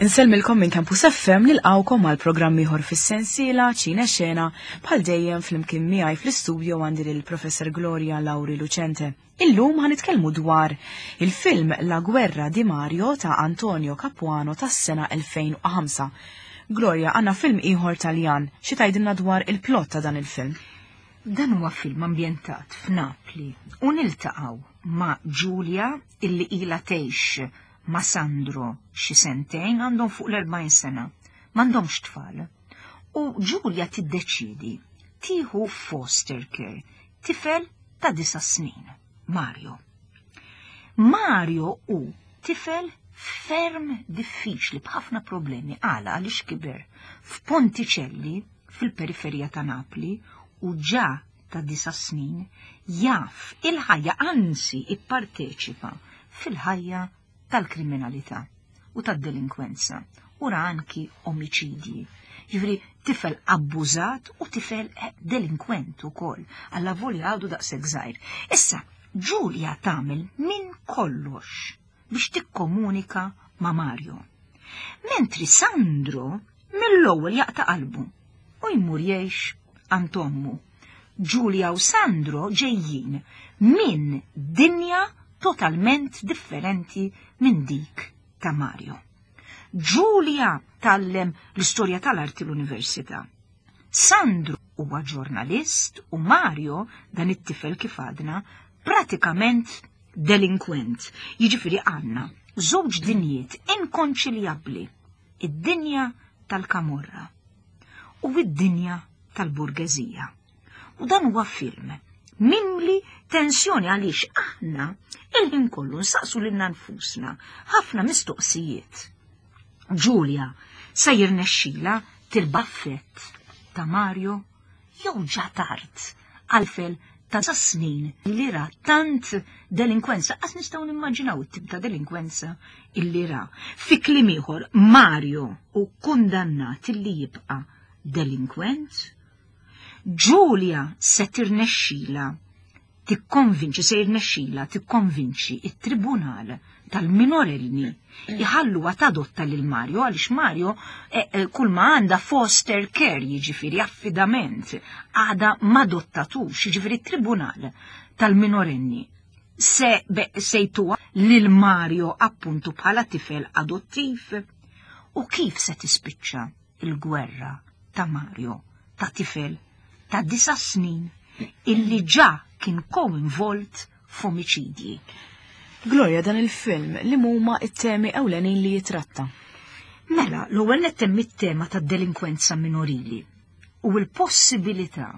Insellmilkom minn Campus FM nilqawkom għal programm ieħor fis-sensiela Ċine Xena bħal dejjem flimkien miegħi fl-istudio għandi lil Professor Gloria Lauri Lucente. Illum ħanitkellmu dwar il-film La Guerra di Mario ta' Antonio Capuano tas-sena 2005. Gloria, għandna film ieħor Taljan, xi tgħidilna dwar il-plot ta' dan il-film? Dan huwa film ambjentat f'Napli u niltaqgħu ma' Giulia illi ilha tgħix ma' Sandro xi sentejn għandhom fuq l-40 sena. M'għandhomx tfal. U Giulia tiddeċidi tieħu foster care tifel ta' disa' snin, Mario. Mario hu tifel ferm diffiċli b'ħafna problemi għala għaliex kiber f'Ponticelli fil-periferija ta' Napli u ġa ta' disa' snin jaf il-ħajja anzi ipparteċipa fil-ħajja tal-kriminalità u tad-delinkwenza u ra anki omiċidji. Jiġifieri tifel abbużat u tifel eh, delinkwent ukoll, alla volja għadu daqshekk żgħir. Issa, Giulia tagħmel minn kollox biex tikkomunika ma' Mario. Mentri Sandro mill-ewwel jaqta' qalbu u jmur jgħix għand ommu. Giulia u Sandro ġejjin minn dinja totalment differenti minn dik ta' Mario. Giulia tgħallem l-istorja tal-arti l-università. Sandro huwa ġurnalist u Mario, dan it-tifel kif għadna, pratikament delinkwent. Jiġifieri għandna żewġ dinjiet inkonċiljabbli, id-dinja tal-kamorra u id-dinja tal-burgeżija. U dan huwa film mimli tensjoni għaliex aħna il-ħin kollu nsaqsu lilna nfusna ħafna mistoqsijiet. Giulia se jirnexxila til-baffett ta' Mario jew ġa tard għal-fel ta' snin li ra tant delinkwenza, qas nistgħu nimmaġinaw it-tip ta' delinkwenza illi ra. Fi kliem ieħor, Mario u kundannat illi jibqa' delinkwent. Giulia se tirnexxila tikkonvinċi, se jirnexxila tikkonvinċi it-tribunal tal-minorenni jħalluha tadotta lil Mario għaliex Mario eh, eh, kull ma għandha foster care jiġifieri affidament għadha m'adottatux, jiġifieri t-tribunal tal-minorenni se sejtuha lil Mario appuntu bħala tifel adottiv u kif se tispiċċa il-gwerra ta' Mario ta' tifel ta' disa snin illi ġa kien ko-involt f'omiċidji. Gloria dan il-film li huma it-temi ewlenin li jitratta. Mela, l-ewwel nett hemm it-tema tad-delinkwenza minorili u l-possibilità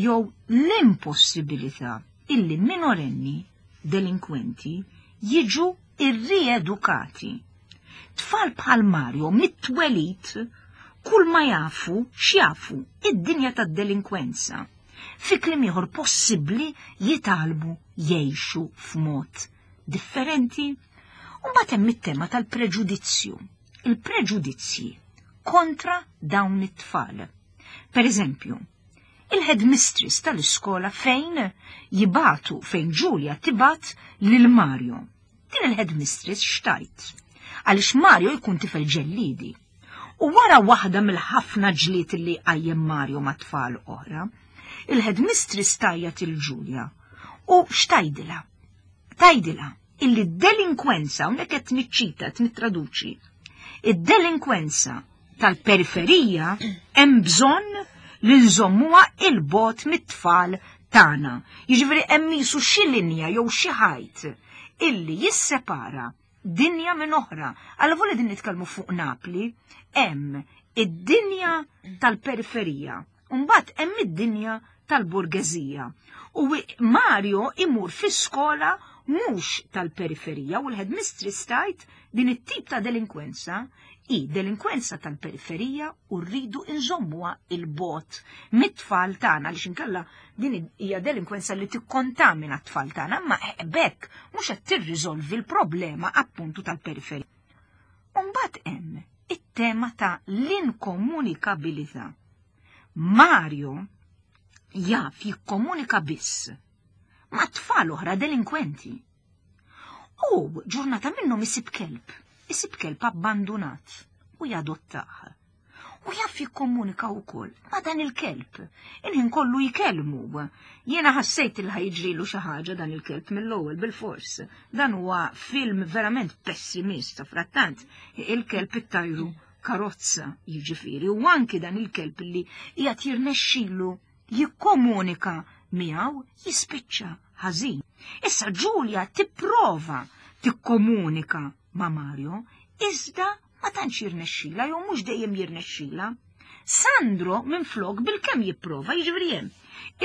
jew l-impossibilità illi minorenni delinkwenti jiġu irriedukati. Tfal bħal Mario mit-twelid kull ma jafu x'jafu id-dinja tad-delinkwenza. Fi kliem ieħor possibbli jitgħallmu jgħixu f'mod differenti. U mbagħad hemm it-tema tal-preġudizzju. Il-preġudizzji kontra dawn it-tfal. Per eżempju, il-headmistress tal-iskola fejn jibatu fejn Giulia tibat lil Mario. Din il-headmistress xtajt. Għaliex Mario jkun tifel ġellidi. U wara waħda mill-ħafna ġlied li qajjem Mario ma' tfal oħra, il-headmistress tajjat il Giulia u xtajdilha. Tajdilha illi d-delinkwenza, hawnhekk qed niċċita, qed nittraduċi, id-delinkwenza tal-periferija hemm bżonn li nżommuha il-bot mit-tfal tagħna. Jiġifieri hemm qisu xi linja jew xi ħajt illi jissepara dinja minn oħra. Alla volja din nitkellmu fuq Napli, hemm id-dinja tal-periferija, u mbagħad hemm id-dinja tal-burgeżija. U Mario imur fi skola mhux tal-periferija u l-headmistress tgħid din it-tip ta' delinkwenza hi delinkwenza tal-periferija u rridu nżommuha il-bot mit-tfal tagħna għaliex inkella din hija delinkwenza li tikkontamina t-tfal tagħna, imma bekk mhux qed tirriżolvi l-problema appuntu tal-periferija. U mbagħad hemm it-tema ta' l-inkomunikabilità. Mario jaf jikkomunika biss ma' tfal oħra delinkwenti. U ġurnata minnhom isib kelb, isib kelb abbandunat. u jadottah. U jaf jikkomunika wkoll ma' dan il-kelb. Il-ħin kollu jkellmu. Jiena ħassejt il ħajġrilu xi ħaġa dan il-kelb mill-ewwel bil-fors. Dan huwa film verament pessimist, frattant il-kelb ittajru karozza jiġifieri u anki dan il-kelb li qiegħed jirnexxilu jikkomunika miegħu jispiċċa ħażin. Issa Ġulja tipprova tikkomunika ma' Mario, iżda ma tantx jirnexxila jew mhux dejjem jirnexxila. Sandro minflok bilkemm jipprova jiġifieri hemm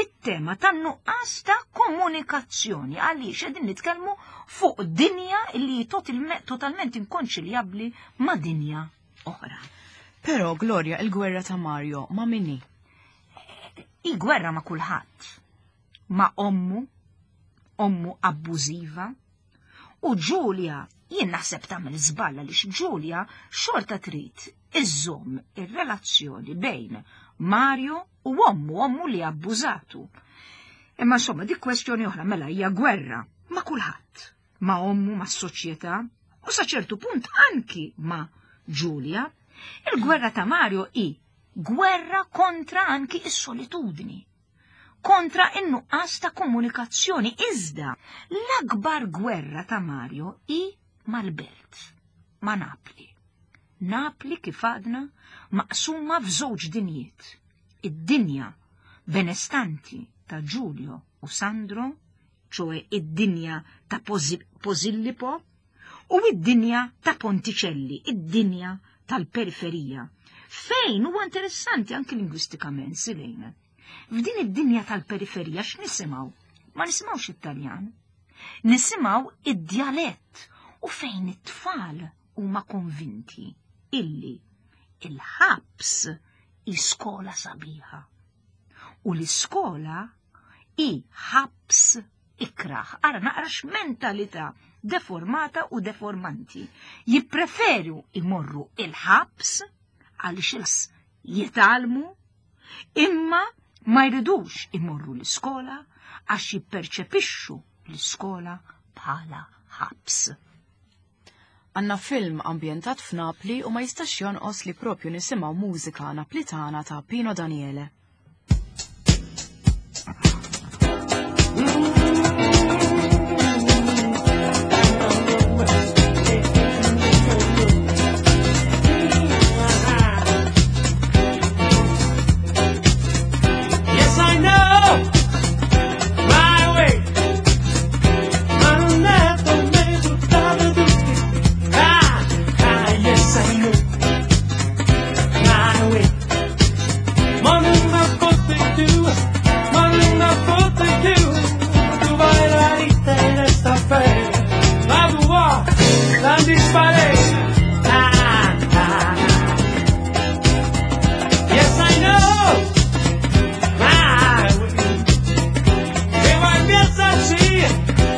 it-tema tan-nuqqas ta' komunikazzjoni għaliex qegħdin nitkellmu fuq dinja li totalment inkonċiljabbli ma' dinja oħra. Però Gloria, il-gwerra ta' Mario ma' min hi? Il-gwerra ma' kulħadd. Ma' ommu, ommu abbużiva, U Ġulja, jien naħseb tagħmel żball għaliex Ġulja xorta trid iżżomm ir-relazzjoni bejn Mario u ommu, ommu li abbużatu. Imma insomma dik kwestjoni oħra mela hija gwerra ma' kulħadd, ma' ommu, ma' soċjetà u sa ċertu punt anki ma' Ġulja. Il-gwerra ta' Mario hi gwerra kontra anki is-solitudni kontra n-nuqqas ta' komunikazzjoni iżda l-akbar gwerra ta' Mario hi mal-belt, ma' Napli. Napli kif għadna maqsuma f'żewġ dinjiet. Id-dinja benestanti ta' Giulio u Sandro, ċoe id-dinja ta' Posillipo, u id-dinja ta' Ponticelli, id-dinja tal-periferija. Fejn huwa interessanti anki lingwistikament, Silene. F'din id-dinja tal-periferija x'nisimgħu? Ma nisimgħux it-Taljan. Nisimgħu id-djalett u fejn it-tfal huma konvinti illi il-ħabs hi skola sabiħa. U l-iskola hi ħabs ikrah. Ara naqra x'mentalità deformata u deformanti. Jippreferu imorru il-ħabs għaliex jitgħallmu imma ma jridux imorru l-iskola għax jipperċepixxu l-iskola bħala ħabs. Għanna film ambjentat f'Napli u ma jistax jonqos li propju nisimgħu mużika Naplitana ta' Pino Daniele. Yes, I know my way. Ma non è per me buttare tutti. Ah, ah, yes, I know my way. Ma non la posso più, ma non la posso più. Tu vai la vita in esta fe. La tua, la dispare. Ah, ah. Yes, I know my way. E vai pensarci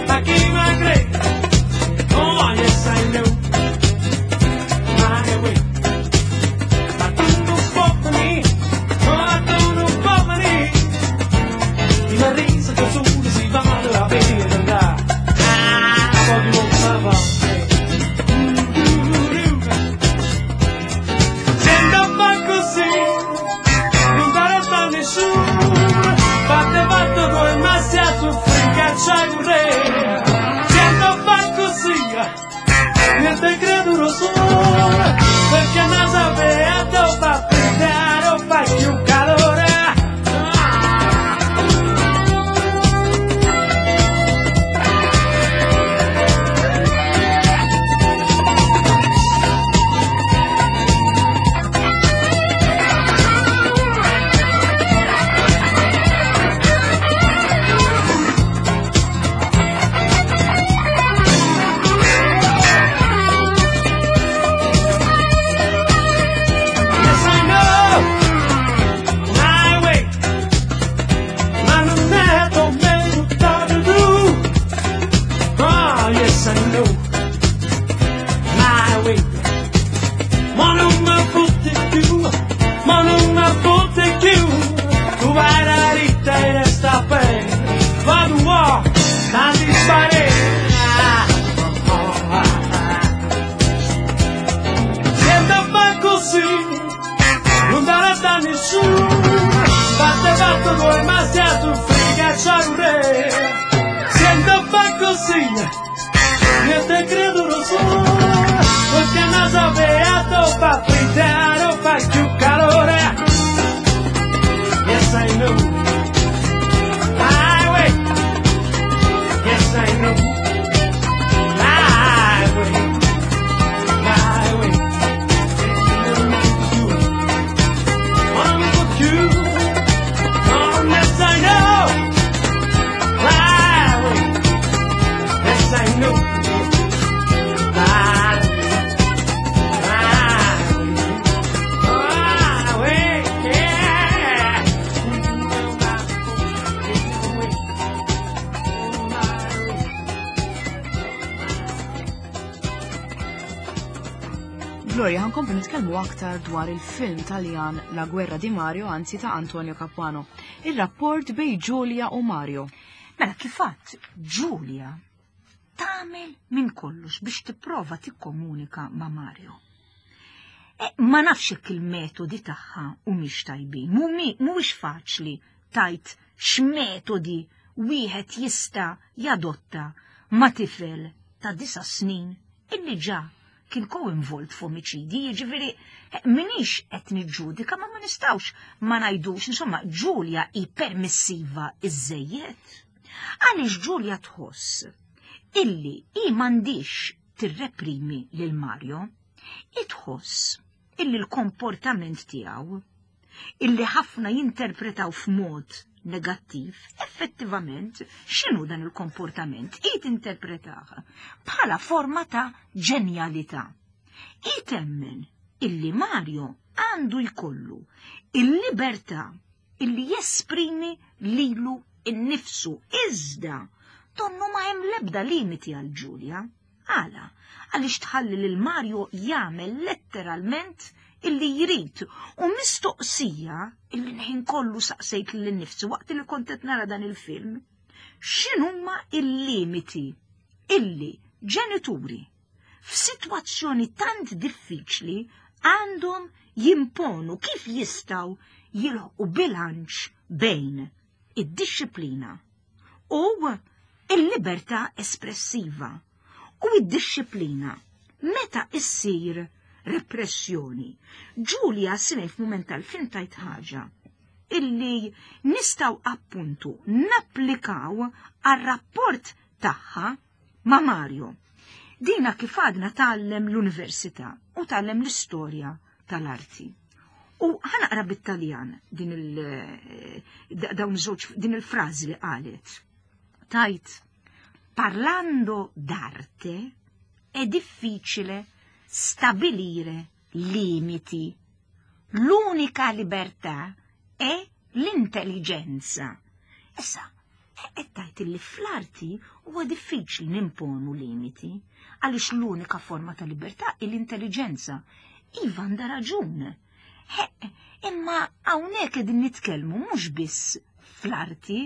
a chi mi crede. Oh, yes, I know my way. Ma tu non puoi venire, ma tu non puoi venire. Ti mi risa che su si va la vita. Ah, poi non va. Sento fa così, non darà a nessuno. Fatte fatto tu e ma si a soffrire, cacciai un re. Sento fa così, niente credo lo sole, perché non sapeva dove fa pensare o fa più calore. Tu duoi se tu frega c'è Sento fa così, io te credo lo so. Perché non sapevo fa frittare, fa più calore. Yes, I know. Highway. Yes, I know. Highway. Highway. Oh, yes, I know. Highway. Yes, I know. Highway. Highway. Yeah. Gloria, ħankomplu nitkellmu aktar dwar il-film Taljan La Guerra di Mario, anzi ta' Antonio Capuano. Il-rapport bej Giulia u Mario. Mela kifat Giulia tagħmel minn kollox biex tipprova tikkomunika ma' Mario. E, ma nafx jekk il-metodi tagħha humiex tajbin, mhuwiex faċli tajt x'metodi wieħed jista' jadotta ma' tifel ta' disa' snin illi ġa kien ko-involt f'omiċidi, jiġifieri minix qed niġġudika ma ma nistgħux ma ngħidux, insomma, Giulia hi permissiva iżżejjed. Għaliex Giulia tħoss illi hi m'għandix tirreprimi lil Mario, hi tħoss illi l-komportament tiegħu illi ħafna jinterpretaw f'mod negattiv, effettivament x'inhu dan il-komportament? Hi tinterpretah bħala forma ta' ġenjalità. Hi temmen illi Mario għandu jkollu il-libertà illi jesprimi lilu innifsu iżda donnu ma hemm l-ebda limiti għal Giulia. Għala? Għaliex tħalli lil Mario jagħmel letteralment illi jrid u mistoqsija illi l-ħin kollu saqsejt lil nifsi waqt li kont qed nara dan il-film. X'inhuma il-limiti illi ġenituri f'sitwazzjoni tant diffiċli għandhom jimponu kif jistgħu jilħqu bilanċ bejn id-dixxiplina u il-libertà espressiva u id-dixxiplina meta issir repressjoni. Giulia Sine f'mument tal-film tajt ħaġa illi nistgħu appuntu napplikaw għar-rapport tagħha ma' Mario. Dina kif għadna tgħallem l-università u tgħallem l-istorja tal-arti. U ħanaqra bit-Taljan din il dawn żewġ din il-frażi li qalet. Tajt, parlando d'arte è difficile stabilire limiti. L'unica libertà è l'intelligenza. Issa, qed tgħid li fl-arti huwa diffiċli nimponu limiti għaliex l-unika forma ta' libertà hi l-intelligenza. Iva għandha raġun. Imma hawnhekk qegħdin nitkellmu mhux biss fl-arti,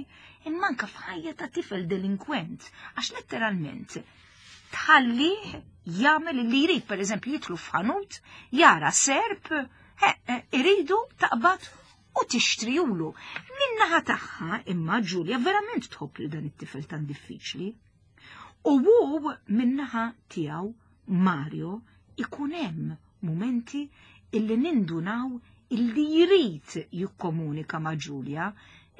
imma anke f'ħajja ta' tifel delinkwent, għax letteralment tħalli jagħmel li jrid, pereżempju jidħlu f'ħanut, jara serp, iridu taqbad u tixtrijulu. Min-naħa tagħha imma Ġulja verament tħobb lil dan it-tifel tan diffiċli. U hu min-naħa tiegħu Mario ikun hemm mumenti illi nindunaw illi jrid jikkomunika ma' Ġulja,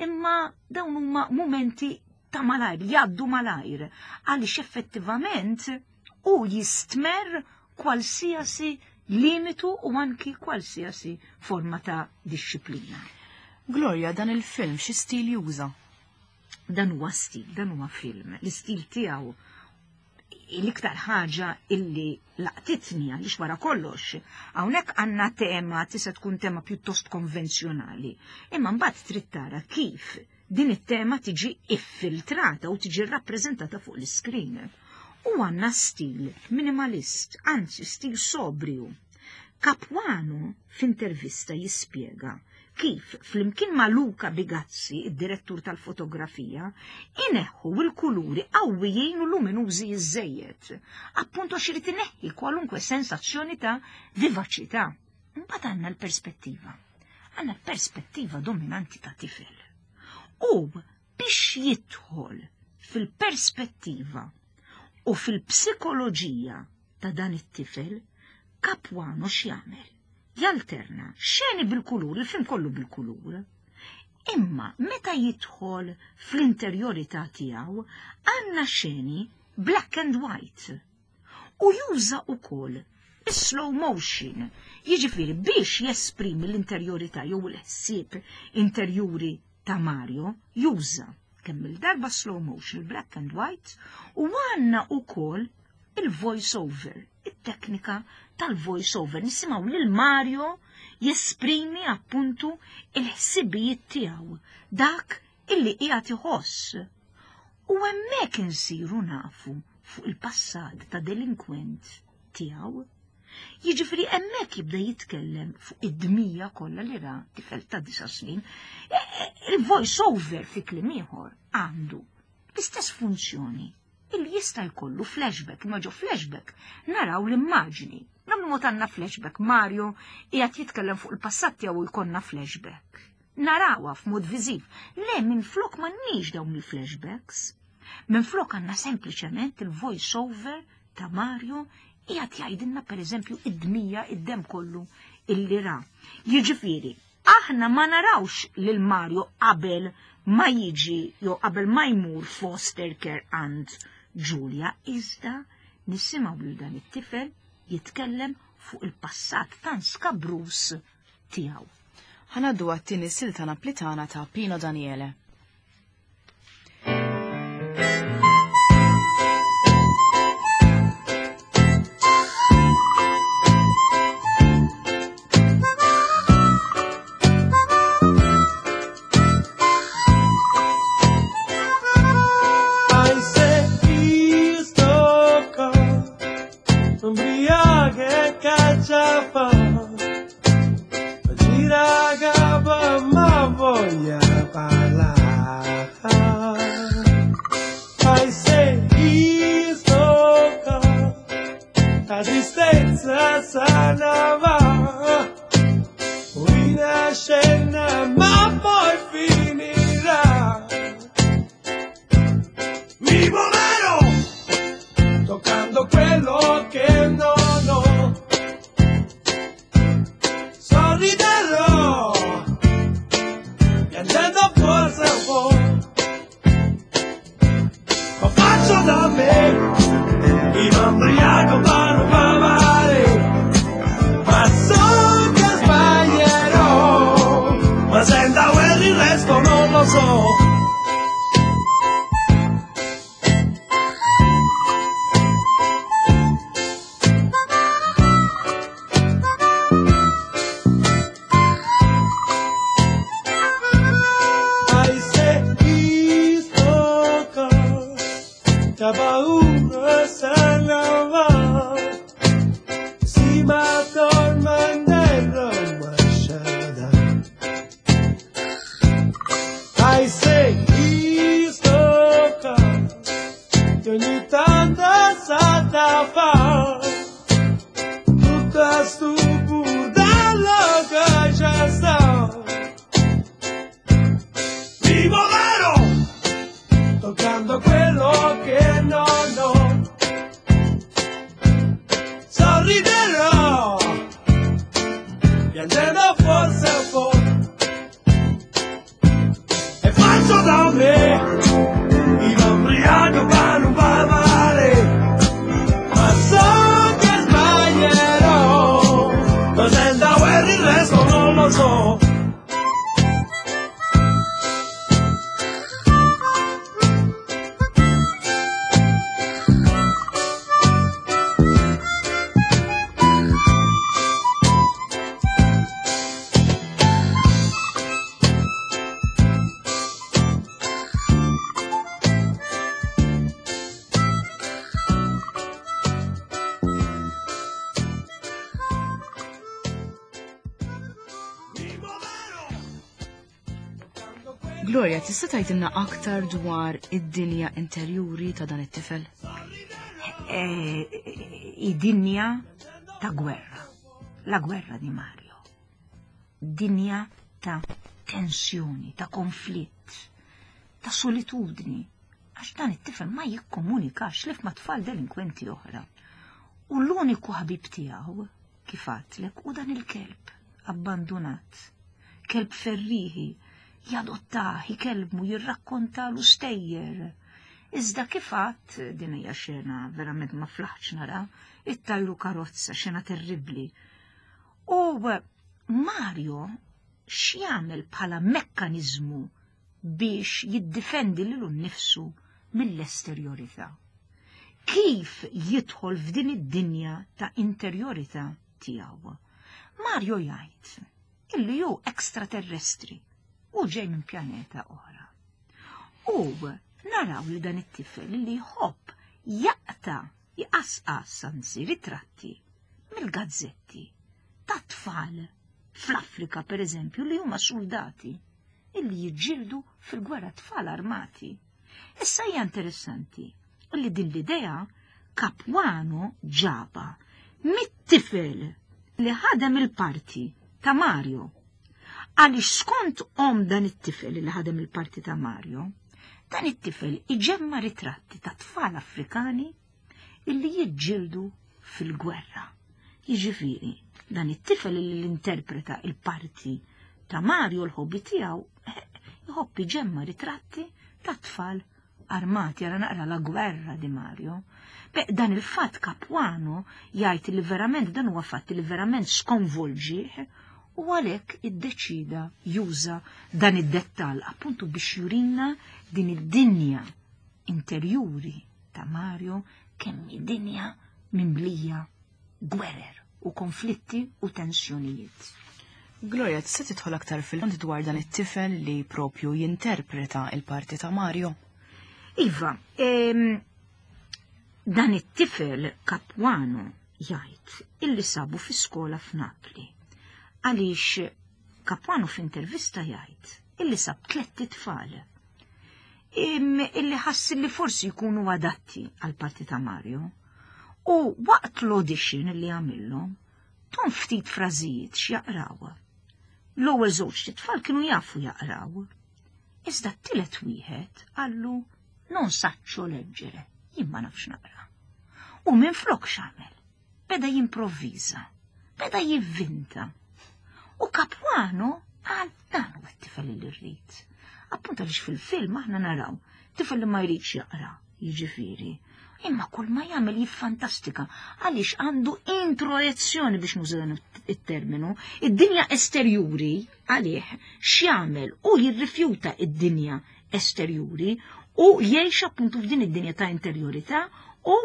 imma dawn huma mumenti ta' malajr, jgħaddu malajr, għaliex effettivament u jistmerr kwalsiasi limitu u anki kwalsiasi forma ta' dixxiplina. Gloria, dan il-film xi stil juża? Dan huwa stil, dan huwa film. L-istil tiegħu l-iktar ħaġa illi laqtitni għaliex wara kollox, hawnhekk għandna tema tista' tkun tema pjuttost konvenzjonali, imma mbagħad trid tara kif din it-tema tiġi iffiltrata u tiġi rrappreżentata fuq l-iskrin. U għandna stil minimalist, anzi stil sobrju. Capuano f'intervista jispjega kif flimkien ma' Luca Bigazzi, id-direttur tal-fotografija, ineħħu l-kuluri qawwijin u luminużi iżżejjed, appunto għax irid ineħħi kwalunkwe sensazzjoni ta' vivaċità. Mbagħad għandna l-perspettiva. Għandna perspettiva dominanti ta' tifel. U biex jidħol fil-perspettiva u fil-psikoloġija ta' dan it-tifel, Capuano x'jagħmel? Jalterna xeni bil-kulur, il-film kollu bil-kulur. Imma meta jidħol fl-interjorità tiegħu għandna xeni black and white. U juża wkoll is-slow motion, jiġifieri biex jesprimi l-interjorità jew il-ħsieb interjuri ta' Mario, juża kemm il-darba slow motion, black and white, u għandna wkoll il-voice over, it-teknika tal-voice over. Nisimgħu lil Mario jesprimi appuntu il-ħsibijiet tiegħu, dak illi qiegħed iħoss. U hemmhekk insiru nafu fuq il-passat ta' delinkwent tiegħu. Jiġifieri hemmhekk jibda jitkellem fuq id-dmija kollha li ra tifel ta' disa' snin. E, e, il-voice over fi kliem ieħor għandu l-istess funzjoni illi jista' jkollu flashback, imma ġo flashback naraw l-immaġni. Nagħmlu mod għandna flashback, Mario qiegħed jitkellem fuq il-passat tiegħu jkollna flashback. Narawha f'mod viżiv. Le minflok m'għandniex dawn il-flashbacks. Minflok għandna sempliċement il-voice over ta' Mario qiegħed jgħidilna pereżempju id-dmija id-dem kollu illi ra. Jiġifieri, aħna ma narawx lil Mario qabel ma jiġi jew qabel ma jmur foster care għand Julia, iżda nisimgħu lil dan it-tifel jitkellem fuq il-passat tan skabrus tiegħu. Ħa ngħaddu għat-tieni silta Naplitana ta' Pino Daniele. Gloria, tista' tgħidilna aktar dwar id-dinja interjuri ta' dan it-tifel? Eh, id-dinja ta' gwerra. La gwerra di Mario. Dinja ta' tensjoni, ta' konflitt. ta' solitudni, għax dan it-tifel ma jikkomunikax li ma' tfal delinkwenti oħra. U l-uniku ħabib tiegħu, kif għadtlek, u dan il-kelb abbandunat. Kelb ferriħi, jadottah, ikellmu, jirrakkontalu stejjer. Iżda kif għadt, din hija xena verament ma flaħtx nara, ittajru karozza, xena terribbli. U Mario x'jagħmel bħala mekkaniżmu biex jiddifendi lilu nnifsu mill-esterjorità? Kif jidħol f'din id-dinja ta' interjorità tiegħu? Mario jgħid illi hu extraterrestri u ġej minn pjaneta oħra. U naraw li dan it-tifel li jħobb jaqta' jqasqas anzi ritratti mill-gazzetti ta' tfal fl-Afrika per eżempju li huma soldati illi jiġġieldu fil-gwerra tfal armati. Issa hija interessanti li din l-idea Capuano ġaba mit-tifel li ħadem il-parti ta' Mario. Għaliex skont om dan it-tifel li ħadem il-parti ta' Mario, dan it-tifel iġemma ritratti ta' tfal Afrikani illi jiġġieldu fil-gwerra. Jiġifieri, dan it-tifel li l-interpreta il-parti ta' Mario l-hobby tiegħu jħobb iġemma ritratti ta' tfal armati għara naqra la gwerra di Mario. Beh, dan il-fatt Capuano jgħid li verament dan huwa fatt li verament skonvolġih u għalhekk iddeċida juża dan id-dettall appuntu biex jurina din id-dinja interjuri ta' Mario kemm dinja mimlija gwerer u konflitti u tensjonijiet. Gloria, tista' tidħol aktar fil-fond dwar dan it-tifel li propju jinterpreta il-parti ta' Mario? Iva, dan it-tifel Capuano jgħid illi sabu fi skola f'Napli. Għaliex Capuano f'intervista jgħid illi sab tlett itfal illi ħass li forsi jkunu adatti għal parti ta' Mario. U waqt l-audition li għamillhom, tom ftit frażijiet x'jaqraw. L-ewwel żewġ tfal kienu jafu jaqraw. Iżda t-tielet wieħed qallu non saccio leggere, jien ma nafx naqra. U minn flok x'għamel? Beda jimprovviża, beda jivvinta. U Capuano qal dan huwa t-tifel li rrid. Appunto għaliex fil-film aħna naraw tifel li ma jridx jaqra, jiġifieri. Imma kull ma jagħmel jiffantastika għaliex għandu introjezzjoni biex nuża dan it-terminu, id-dinja esterjuri għalih x'jagħmel u jirrifjuta id-dinja esterjuri u jgħix appuntu f'din id-dinja ta' interjorità u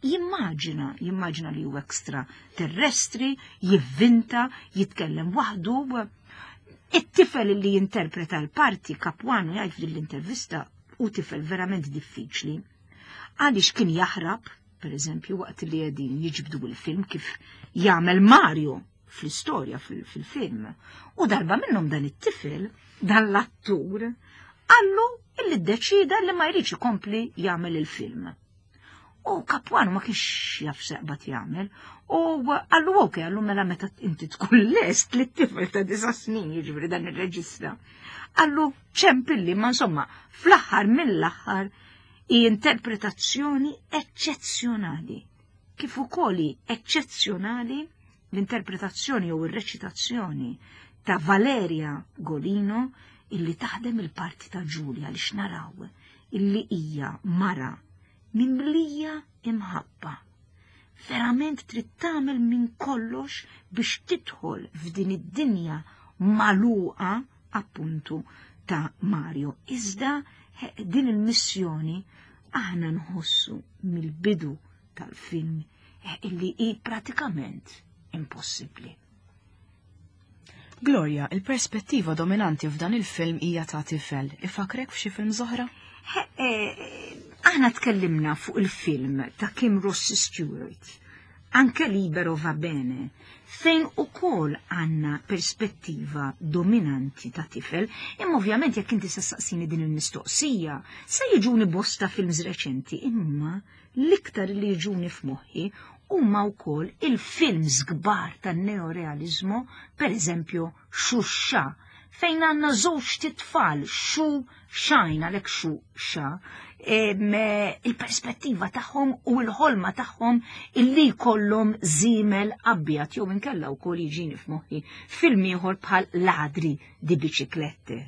jimmaġina, jimmaġina li huwa ekstra terrestri, jivvinta, jitkellem waħdu. It-tifel li jinterpreta l-parti Capuano jgħid f'din l-intervista u tifel verament diffiċli. Għaliex kien jaħrab, per eżempju, waqt li qegħdin jiġbdu il-film kif jagħmel Mario fl-istorja fil-film. U darba minnhom dan it-tifel, dan l-attur, qallu illi ddeċida li ma jridx ikompli jagħmel il-film. U Capuano ma kienx jaf seqbat jagħmel. U qallu ok, qallu mela meta inti tkun lest li t-tifel ta' disa snin jiġifieri dan ir-reġista. Qallu ċempilli, ma insomma, fl-aħħar mill-aħħar hi interpretazzjoni eċċezzjonali. Kif ukoll hi eċċezzjonali l-interpretazzjoni jew ir-reċitazzjoni ta' Valeria Golino illi taħdem il-parti ta' Giulia li x'naraw illi hija mara mimlija imħabba. Verament trid tagħmel minn kollox biex tidħol f'din id-dinja magħluqa appuntu ta' Mario. Iżda din il-missjoni aħna nħossu mill-bidu tal-film illi hi pratikament impossibbli. Gloria, il-perspettiva dominanti f'dan il-film hija ta' tifel. Ifakrek f'xi film oħra? Aħna tkellimna fuq il-film ta' Kim Rossi Stewart, anke Libero va bene, fejn ukoll għandna perspettiva dominanti ta' tifel, imma ovvjament jekk inti se saqsini din il-mistoqsija, se jiġuni bosta films reċenti, imma l-iktar li jiġuni f'moħħi huma wkoll il-films kbar tan-neorealizmu, per eżempju Xuxa, fejn għandna żewġ titfal xu xajn għalhekk xu xa il-perspettiva tagħhom u l-ħolma tagħhom illi jkollhom żiemel abjad jew inkella wkoll jiġini f'moħħi film ieħor bħal Ladri di Biciclette.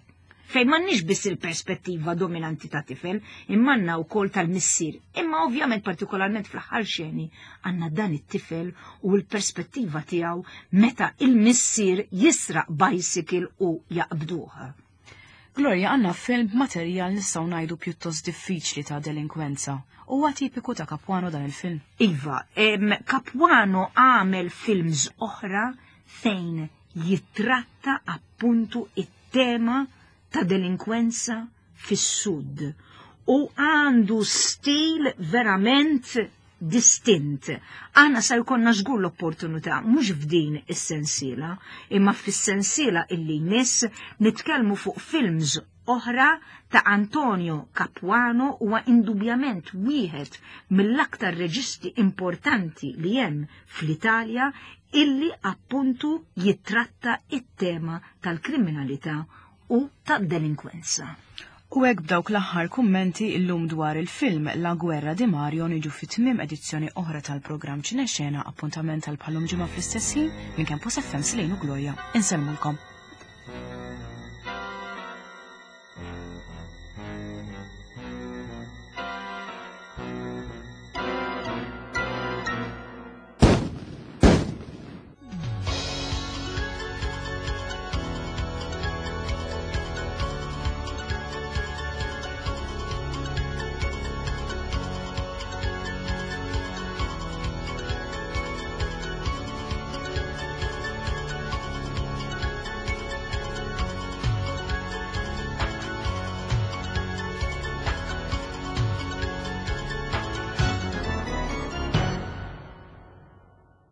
Fejn m'għandniex biss il-perspettiva dominanti ta' tifel, imma għandna wkoll tal-missier. Imma ovvjament partikolarment fl-aħħar xeni għandna dan it-tifel u l-perspettiva tiegħu meta il-missier jisraq bicycle u jaqbduha. Gloria għandna film b'materjal nistgħu ngħidu pjuttost diffiċli ta' delinkwenza. Huwa tipiku ta' Capuano dan il-film? Iva, Capuano għamel films oħra fejn jittratta appuntu it-tema ta' delinkwenza fis-sud u għandu stil verament distint. Aħna sa jkollna żgur l-opportunità mhux f'din is-sensiela, imma fis-sensiela illi jmiss nitkellmu fuq films oħra ta' Antonio Capuano huwa indubjament wieħed mill-aktar reġisti importanti li hemm fl-Italja illi appuntu jittratta it-tema tal-kriminalità u tad-delinkwenza. U hekk b'dawk l-aħħar kummenti illum dwar il-film La Guerra di Mario niġu fi tmiem edizzjoni oħra tal-programm Ċinexena appuntament għal bħalum ġimgħa fl-istess ħin minn Campus FM Silejn u Gloria. Insellmulkom.